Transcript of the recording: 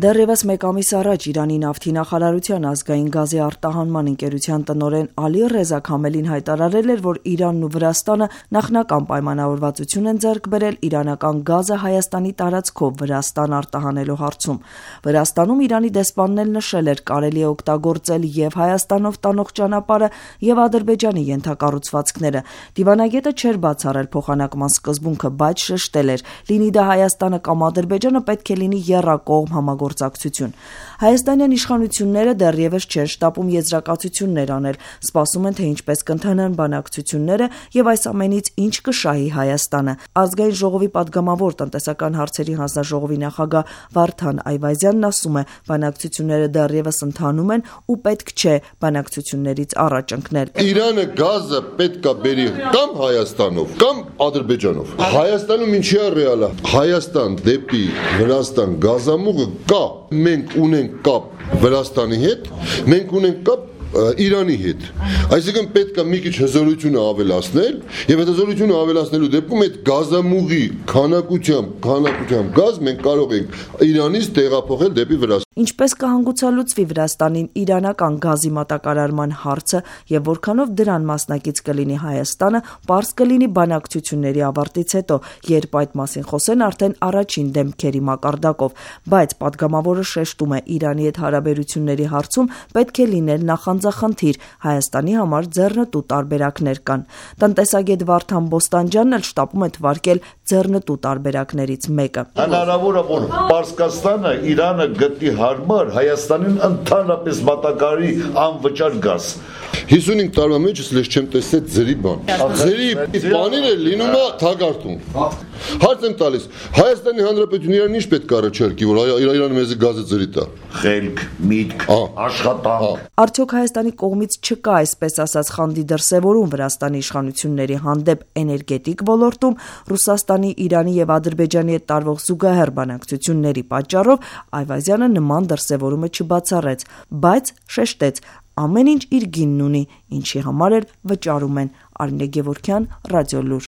Դեռևս մեկ ամիս առաջ Իրանի նավթի նախարարության ազգային գազի արտահանման ընկերության տնօրեն Ալի Ռեզա Քամելին հայտարարել էր, որ Իրանն ու Վրաստանը նախնական պայմանավորվածություն են ձեռք բերել իրանական գազը Հայաստանի տարածքով Վրաստան արտահանելու հարցում։ Վրաստանում Իրանի դեսպանն էլ նշել էր, կարելի է օգտագործել եւ Հայաստանով տանող ճանապարհը եւ Ադրբեջանի ենթակառուցվածքները։ Դիվանագետը չէր բացառել փոխանակման սկզբունքը, բայց շեշտել էր, լինի դա Հայաստանը կամ Ադրբեջանը, պետք է լինի եռակողմ համագործակցություն։ Հայաստանյան իշխանությունները դեռևս չեն շտապում եզրակացություններ անել, սպասում են, թե ինչպես կընթանան բանակցությունները եւ այս ամենից ինչ կշահի Հայաստանը։ Ազգային ժողովի պատգամավոր տնտեսական հարցերի հանձնաժողովի նախագահ Վարդան Այվազյանն ասում է, բանակցությունները դեռևս ընթանում են ու պետք չէ բանակցություններից առաջ ընկնել։ Իրանը գազը պետք է բերի կամ Հայաստանով, կամ Ադրբեջանով։ Հայաստանում ինչի է ռեալը։ Հայաստան դեպի Վրաստան գազամուղը կա, մենք ունենք կապ Վրաստանի հետ, մենք ունենք կապ Իրանի հետ։ Այսինքն պետք է մի քիչ հզորությունը ավելացնել եւ այդ հզորությունը ավելացնելու դեպքում այդ գազամուղի քանակությամբ գազ մենք կարող ենք Իրանից տեղափոխել դեպի Վրաստան։ Ինչպես կհանգուցալուծվի Վրաստանին իրանական գազի մատակարարման հարցը եւ որքանով դրան մասնակից կլինի Հայաստանը, պարզ կլինի բանակցությունների ավարտից հետո, երբ այդ մասին խոսեն արդեն առաջին դեմքերի մակարդակով, բայց պատգամավորը շեշտում է, Իրանի հետ հարաբերությունների հարցում պետք է լինել նախանձախնդիր, Հայաստանի համար ձեռնտու տարբերակներ կան։ Տնտեսագետ Վարդան Բոստանջյանն էլ շտապում է թվարկել ձեռնտու տարբերակներից մեկը։ Հնարավոր է, որ Պարսկաստանը Իրանը գտնի հարմար Հայաստանին ընդհանրապես մատակարարի անվճար գազ։ 55 տարվա մեջ ես չեմ տեսել ձերի բան։ Ձերի բաները լինում է թագարտում։ Հարց եմ տալիս, Հայաստանի Հանրապետությունը Իրանին ինչ պետք է առաջարկի, որ Իրանը մեզ գազը ձերի տա։ Խելք, միտք, աշխատանք։ Արդյոք Հայաստանի կողմից չկա, այսպես ասած, խանդի դրսևորում Վրաստանի իշխանությունների հանդեպ էներգետիկ ոլորտում, Ռուսաստանի, Իրանի եւ Ադրբեջանի հետ տարվող զուգահեռ բանակցությունների պատճառով Այվազյանը նման դրսևորումը չբացառեց, բայց շեշտեց, ամեն ինչ իր գինն ունի, ինչի համար էլ վճարում են։ Արմինե Գևորգյան, Ռադիոլուր։